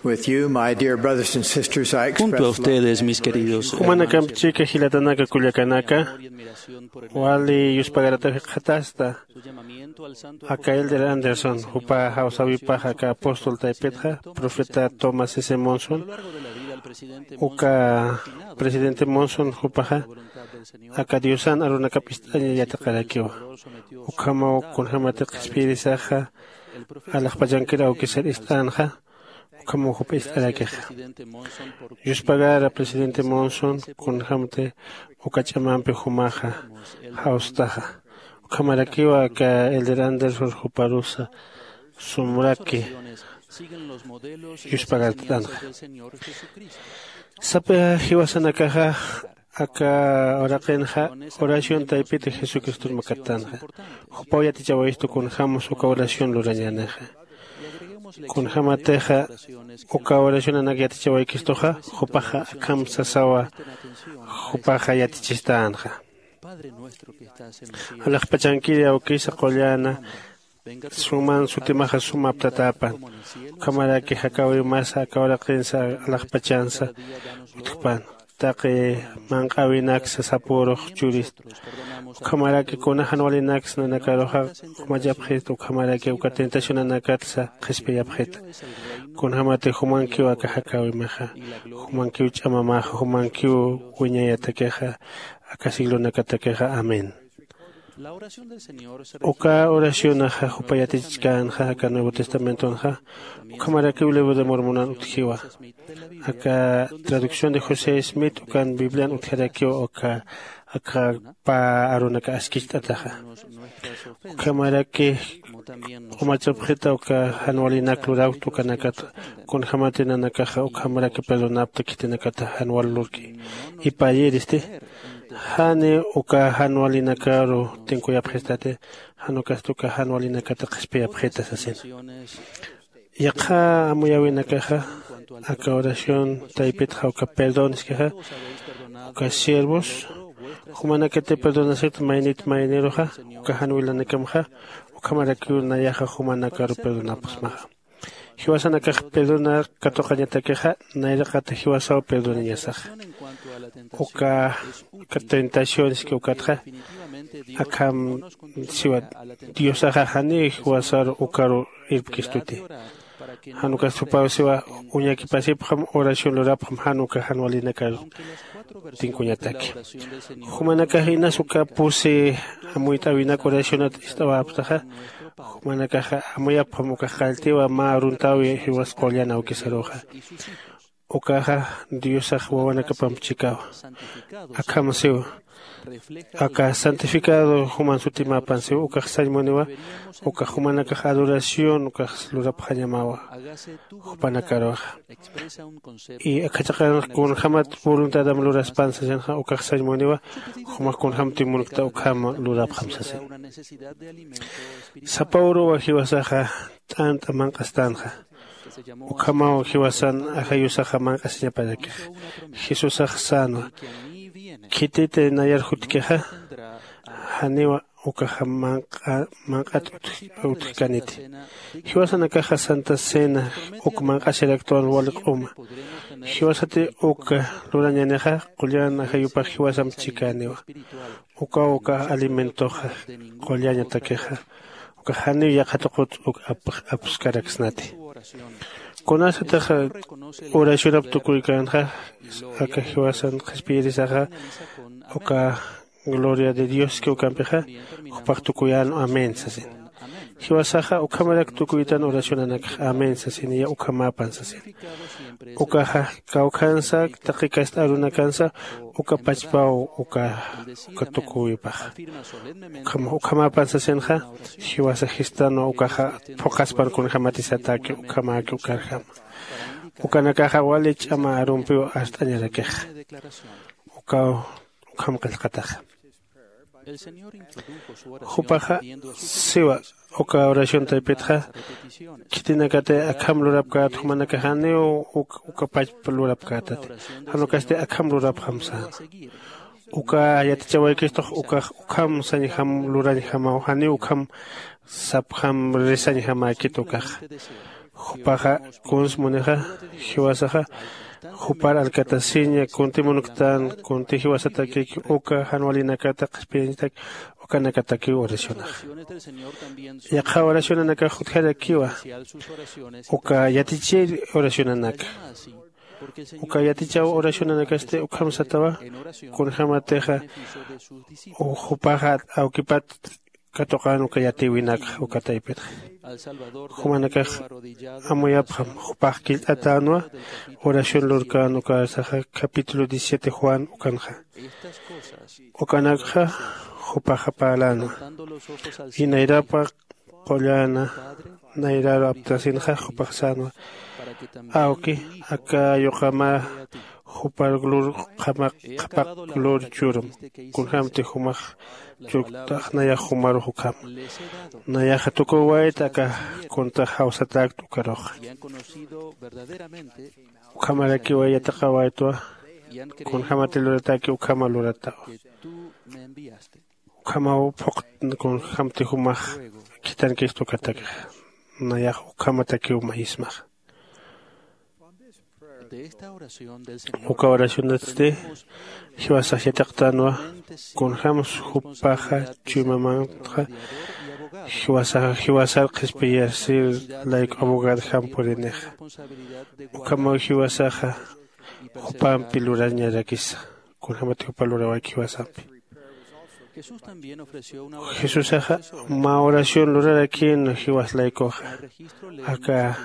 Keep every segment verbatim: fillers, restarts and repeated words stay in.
With you, my dear brothers and sisters, I express my ustedes, mis queridos hermanos. Jumanakamp chika jilatanaka kullakanaka, wali yuspagarataw jikxatasta aka Elder Anderson, jupa jawsäwipaxa aka apóstol taypitxa, profeta Thomas S. Monson, uka presidente Monson jupaxa, aka Diosan arunakap ist'aña yatiqarakiwa. Ukhamaw kunjämati qhispiyirisaxa, alaxpachankir awkisir ist'änxa, ukhamaw jupa ist'arakixa. Yuspagara presidente Monson, kunjämti uka ch'amampi jumaxa jawstaxa. Ukhamarakiwa aka Elder Anderson juparusa sumraki yuspagartat'änxa. Sapa jiwasanakaxa aka uraqinxa oración taypiti Jesucriston makattanxa. Jupaw yatichawayistu kunjämas uka oración lurañänixa. Kunjämatixa uka oracionanak yatichawaykistuxa, jupaxa akham sasawa, jupaxa yatichistänxa. Alaxpachankiri awkisa qulläna, suman sutimaxa sum aptatäpan. Ukhamaraki jakäwimasa aka uraqinsa alaxpachansa utjpan. Taqi manq'äwinaksa sapürux churista. Ukhamaraki kuna jan walinaksa nanakaruxa qumachapxista, ukhamaraki uka tentacionanakatsa qhispiyapxita. Kunjämati jumankiw aka jakäwimixa, jumankiw ch'amamaxa, jumankiw wiñayatakixa, aka siglonakatakixa. Amén. Uka oracionaxa jupa yatichkänxa aka Nuevo Testamentonxa, ukhamarakiw libro de Mormonan utjiwa. Aka traducción de José Smith ukan Biblian utjarakiw uka, aka pä arunaka askicht'ataxa. Ukhamaraki qumachapxita uka jan walinak lurawt ukanakata, kunjämati nanakaxa ukhamaraki perdonapta khitinakata jan wal lurki. Ipayiristi, jani uka jan walinakaru tinkuyapxistati, jan ukasti uka jan walinakata qhispiyapxita sasina. Yaqha amuyäwinakaxa, aka oración taypitxa uka perdón iskixa, uka siervos, jumanakati perdonasita maynit mayniruxa, uka jan wilanakamxa, ukhamarakiw nayaxa jumanakaru perdonapxsmaxa. Jiwasanakax perdonar katuqañatakixa, nayraqata jiwasaw perdonañasaxa. Uka, uka tentaciones que ukatxa, akham siwa Diosaxa janiw jiwasaru ukaru irpkistuti. Jan ukas jupaw siwa, uñakipasipxam, oración lurapxam, jan uka jan walinakaru tinkuñataki. Jumanakax inas uka pusi amuyt'äwinak oracionat ist'awapxtaxa, jumanakaxa amuyapxam ukax qalltiwa mä aruntäwi jiwas qullan awkisaruxa. Ukaxa Diosax wawanakapamp chikawa. Akham siwa. Aka santificado juman sutimäpan siwa, ukax sañ muniwa, ukax jumanakax adoración ukax lurapxañamawa jupanakaruxa. Y aka chiqanx kunjämat voluntadam luraspan sasinxa, ukax sañ muniwa, jumax kunjämti munkta ukham lurapxam sasin. Sapa uruwa jiwasaxa t'ant'a manq'astänxa. Ukhamaw jiwasan ajayusaxa manq'asiñaparakix. Jesusax sänwa. Khititi nayar jutkixa, janiwa ukaxa manq'a-, manq'at utj-, utjkaniti. Jiwasanakaxa Santa Cena uk manq'asiraktwan wali q'uma. Jiwasati uk lurañänixa, qullan ajayupax jiwasamp chikäniwa. Ukaw uka alimentoxa, qullañatakixa, uka janiw yaqha tuqut uk ap-, apskaraksnati. Kunasatix oracionap tukuykänxa, aka jiwasan qhispiyirisaxa, uka gloria de Dios que ukampixa, jupax tukuyän amén sasin. Jiwasaxa ukhamarak tukuytan oracionanakax amén sasin, ya ukhamäpan sasin. Ukaxa kawkhansa, taqi kast'a arunakansa, uka pachpaw uka, uka tukuwipaxa. Ukham-, ukhamäpan sasinxa, jiwasa jistanwa ukaxa phuqhaspan kunjämatisataki ukhamäki ukarjama. Ukanakaxa wali ch'ama arumpiw arst'añarakixa. Ukaw, ukham qillqataxa. Jupaxa siwa, uka oración taypitxa, khitinakati akham lurapkät, jumanakax janiw uk-, uka pachpa lurapkätati. Jan ukasti akham lurapxam säna. Uka yatichawaykistux ukax ukham sañjam lurañjamaw, janiw ukham sapxam risañjamäkit ukaxa. Jupaxa kuns munixa jiwasaxa jupar alkatasiña kunti munktan kunti jiwasatakik uka jan walinakata qhispiyañatak ukanakatakiw oracionaxa. Yaqha oracionanakax utjarakiwa uka yatichir oracionanaka. Uka yatichaw oracionanakasti ukham satawa kunjämatixa jupaxa awkipat katuqän uka yatïwinakxa uka taypitxa. Jumanakax amuyapxam jupax killt'atänwa oración lurkän ukasaxa capítulo diecisiete juan ukanxa. Ukanakxa jupaxa parlänwa. Inayrapa qullana nayraru aptasinxa jupax sänwa. Awki aka yuqamä jupar lur qhamaq qhapaq lur churum. Kunjämti jumax churktax nayax jumarux ukhama. Nayaxa tukuwayta aka kuntax jawsatäkt ukaruxa. Ukhamarakiwa yatiqawaytwa kunjämati luratäki ukhama luratawa. Ukhamaw phuqt kunjämti jumax khithankist ukatakixa. Nayax ukhamatakiw mayismaxa. Uka oracionatsti jiwasax yatiqtänwa kunjämsa jupaxa chuymamanxa jiwasaxa jiwasar qhispiyasir layku abogadjam purinixa. Ukhamaw jiwasaxa jupampi lurañarakisa. Kunjämat jupa lurawayki jiwasampi jesusaxa mä oración lurarakïn jiwas laykuxa. Aka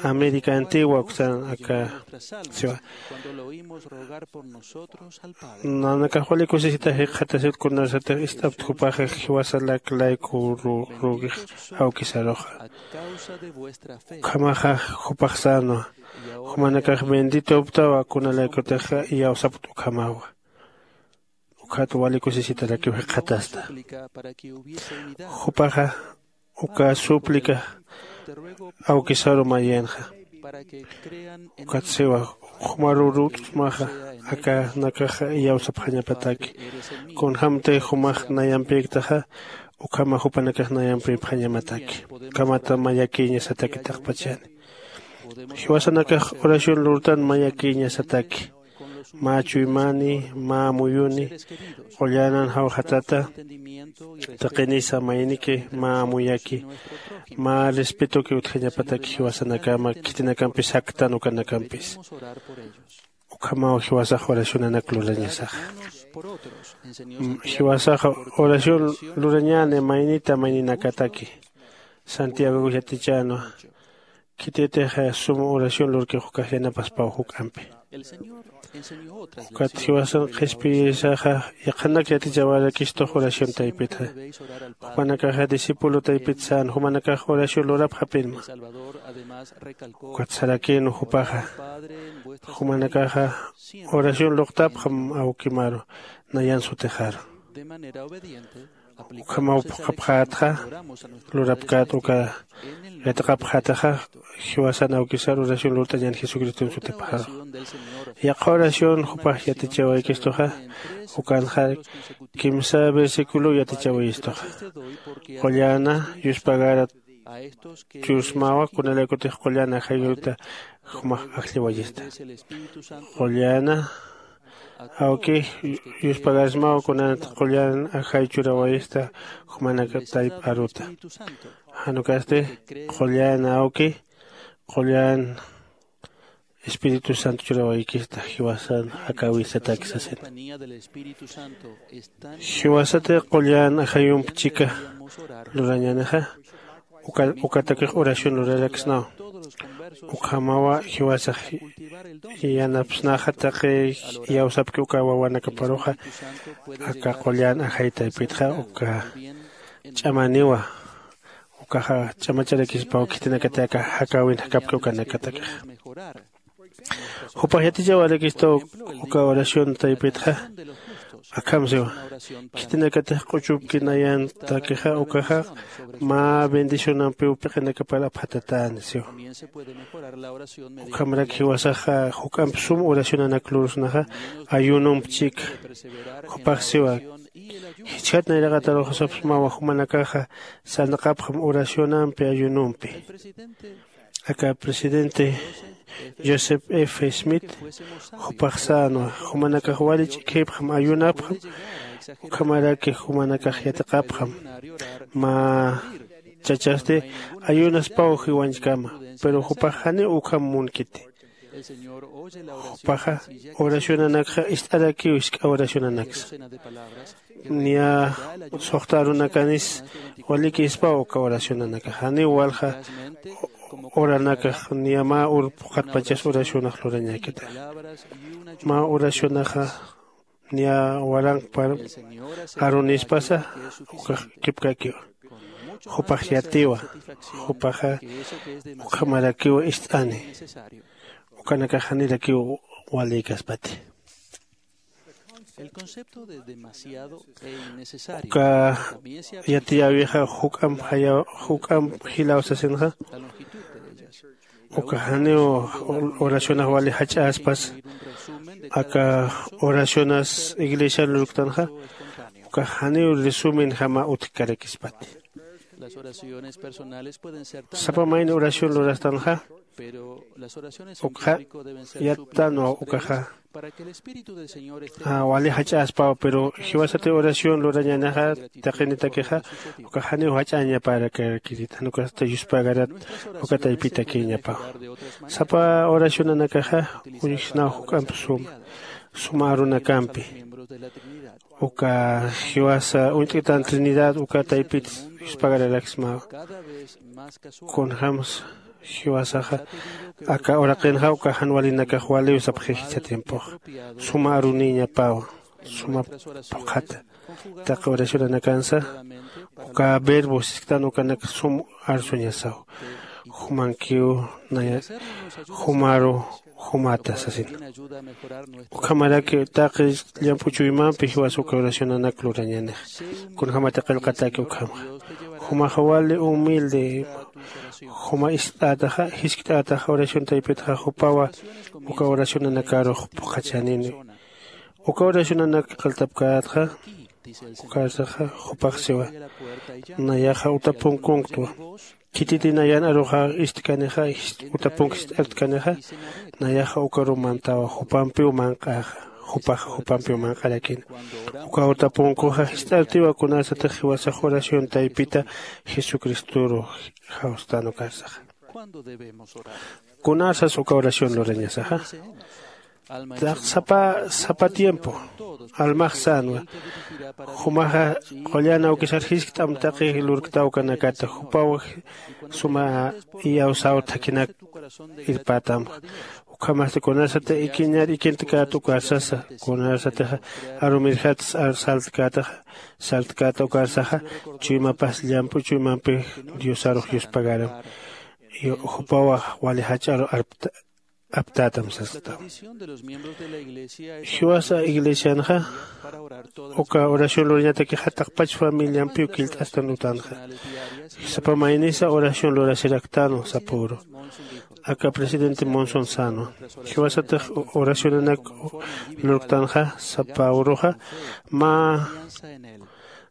américa antigua uksan aka siwa nanakax wali kusisita jikxatasir kunasatix ist'apt jupaxa jiwasalak layku rugix awkisaruxa. Ukhamaxa jupax sänwa jumanakax benditoptawa kunalaykutixa iyawsapt ukhamawa. Ukhat wali kusisitarakiw jikxatasta. Jupaxa uka súplica awkisaru mayinxa. Ukat siwa jumarurutsmaxa akanakaxa iyawsapxañapataki. Kunjämti jumax nayampïktaxa ukhama jupanakax nayampïpxañamataki. Ukhamata mayakïñasataki taqpachani. Jiwasanakax oración lurtan mayakïñasataki. Mä chuymani mä amuyuni qullänan jawxatata taqinisa mayniki mä amuyaki mä respetoki utjañapataki jiwasanakama khitinakampis jaktan ukanakampis. Ukhamaw jiwasax oracionanak lurañasaxa. Jiwasax oración lurañäni maynita mayninakataki. Santiagox yatichänwa khititix sum oración lurkix ukax yanapaspaw juk'ampi. Ukat jiwasan qhispiyisaxa yaqhanak yatichawarakistux oración taypitxa. Jupanakaxa discípulo taypit sän jumanakax oración lurapxapinma. Ukat sarakïnwa jupaxa jumanakaxa oración luqtapxam awkimaru nayan sutixaru. Ukhamaw phuqhapxätxa lurapkät uka yatiqapxätaxa jiwasan awkisar oración lurt'añän jesucriston sutipxaru. Yaqha oración jupax yatichawaykistuxa ukanxa kimsa versiculow yatichawayistuxa. Qullana yuspagara chusmawa kunalaykutix qullana ajayuta jumax ajlliwayista. Qullana awki yuspagarsmaw kunanat qullan ajay churawayista jumanaka tayp aruta. Janukasti qullan awki qullan espíritu santo churawaykista jiwasan jakäwisatak sasina. Jiwasati qullan ajayump chika lurañänixa ukatakix oración luraraksnaw. Ukhamawa jiwasax yanapsnaxa taqi iyawsapki uka wawanakaparuxa aka qullan ajay taypitxa uka ch'amaniwa. Ukaxa ch'amacharakispaw khitinakati aka jakäwin jakapki ukanakatakixa. Jupax yatichawarakistaw uka oración taypitxa akham siwa khitinakatix q'uchupki nayantakixa ukaxa mä bendicionampiw piqinakapar apxatatäni siwa. Ukhamarak jiwasaxa juk'amp sum oracionanak lurusnaxa ayunomp chika. Jupax siwa Jichhat nayraqatarux sapsmawa jumanakaxa sarnaqapxam oracionampi ayunompi. Aka presidente joseph f smith jupax sänwa, jumanakax wali ch'ikhipxam ayunapxam, ukhamaraki jumanakax yatiqapxam mä chachasti ayunaspaw jiwañchkama. Pero jupax janiw ukham munkiti. Jupaxa oracionanakxa ist'arakiw jisk'a oracionanaksa. Niya suxta arunakanis walikïspaw uka oracionanakax janiw walja oranakax niya mä ur phuqhatpachas oracionax lurañäkita. Mä oracionaxa niya waranqpar arunispasa ukax kipkakiwa. Jupax yatiwa. Jupaxa ukhamarakiw ist'ani. Ukanakax janirakiw walïkaspati. Uka yatiyäwixa juk'amp juk'amp jilaw sasinxa. Uka janiw oracionax wali jach'äspas aka oracionas iglesiar lurktanxa. Uka janiw resumenjama utjkarakispati. Sapa mayni oración lurastanxa ukxa yattanwa ukaxa wali jach'äspaw. Pero jiwasati oración lurañänixa taqinitakixa ukax janiw jach'añapärakarakirit jan ukasti yuspagarat uka taypitakïñapaw. Sapa oracionanakaxa uñjsnaw juk'amp suma suma arunakampi uka jiwasa uñt'kitan trinidad uka taypit yuspagararakismawa. Kunjämsa jiwasaxa aka uraqinxa uka jan walinakax waliw sapxi jichha tiempoxa suma arunïñapawa. Suma phuqhata taqi oracionanakansa uka verbo sisktan ukanak sum arsuñasaw. Jumankiw naya jumaru jumata sasina. Ukhamaraki taqi llamp'u chuymampi jiwasa uka oracionanak lurañänix. Kunjämati qillqataki ukhamxa jumaxa wali humilde juma ist'ätaxa jiskt'ätaxa oración taypitxa jupawa uka oracionanakarux phuqhachänini. Uka oracionanak qilltapkätxa ukarsaxa jupax siwa nayaxa utapunkunktwa. Khititi nayan aruxa istkanixa utapunk jist'artkanixa nayaxa ukaru mantawa jupampiw manq'äxa. Jupaxa jupampiw manq'arakina. Uka utapunkuxa jist'artiwa kunasatix jiwasax oración taypita jesucristoru jawstan ukarsaxa. Kunasas uka oración lurañasaxa sapa sapa tiempo almax sänwa. Jumaxa qullan awkisar jiskt'am taqi lurkta ukanakata jupaw suma iyawsaw thakhinak irpätamxa. Ukhamasti kunasati ikiñar ikintkäta ukarsasa kunasatixa arumirjat saltkätaxa saltkäta ukarsaxa chuymapas llamp'u chuymampi diosarux yuspagaram. Jupawax wali jach'aru aptätam sastam. Jiwasa iglesianxa uka oración lurañatakix jataqpach familiampiw killt'astan utanxa. Sapa maynisa oración lurasiraktanwa sapüru. Aka presidente monson sänwa jiwasatix oracionanak lurktanxa sapüruxa mä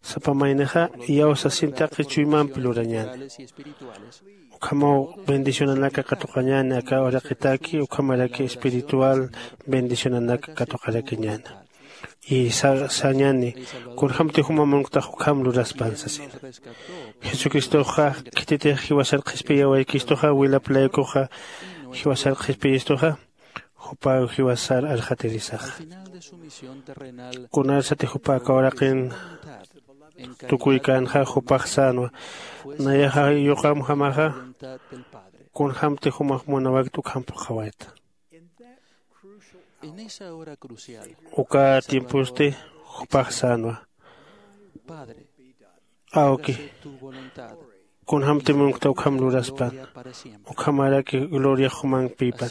sapa maynixa iyawsasin taqi chuymampi lurañäni. Ukhamaw bendicionanaka katuqañäni aka uraqitaki ukhamaraki espiritual bendicionanaka katuqarakiñäni. Y sañäni kunjämti juma munktax ukham luraspan sasina. Jesucristoxa khititix jiwasar qhispiyawaykistuxa wilap laykuxa jiwasar qhispiyistuxa jupaw jiwasar arxatirisaxa. Kunarsati jupa aka uraqin tukuykänxa jupax sänwa nayaxa yuqamjamaxa kunjämti jumax munawaykt ukham phuqhawayta. Uka tiemposti jupax sänwa awki kunjämti munkta ukham luraspan ukhamaraki gloriax jumampïpan.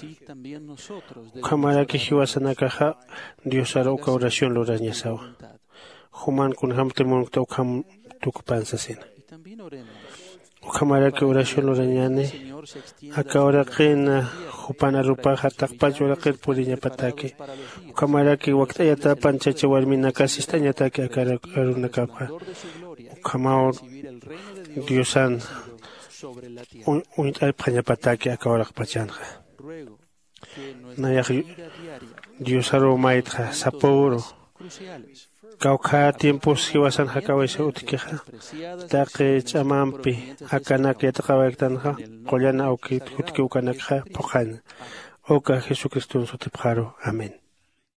Ukhamaraki jiwasanakaxa diosar uka oración lurañasawa juman kunjämti munkta ukham tukpan sasina. Ukhamaraki oración lurañäni. Aka uraqin jupan arupaxa taqpach uraqir puriñapataki. Ukhamaraki wakt'ayatapan chacha warminakas ist'añataki aka arunakapxa. Ukhamaw diosan uñt'apxañapataki aka uraqpachanxa. Nayax diosaruw maytxa sapüru. Kawkhä tiempos jiwasan jak'awaysa utjkixa, taqi ch'amampi akanak yatiqawayktanxa, qullan awkit jutki ukanakxa phuqhaña. Uka jesucriston sutipxaru. Amén.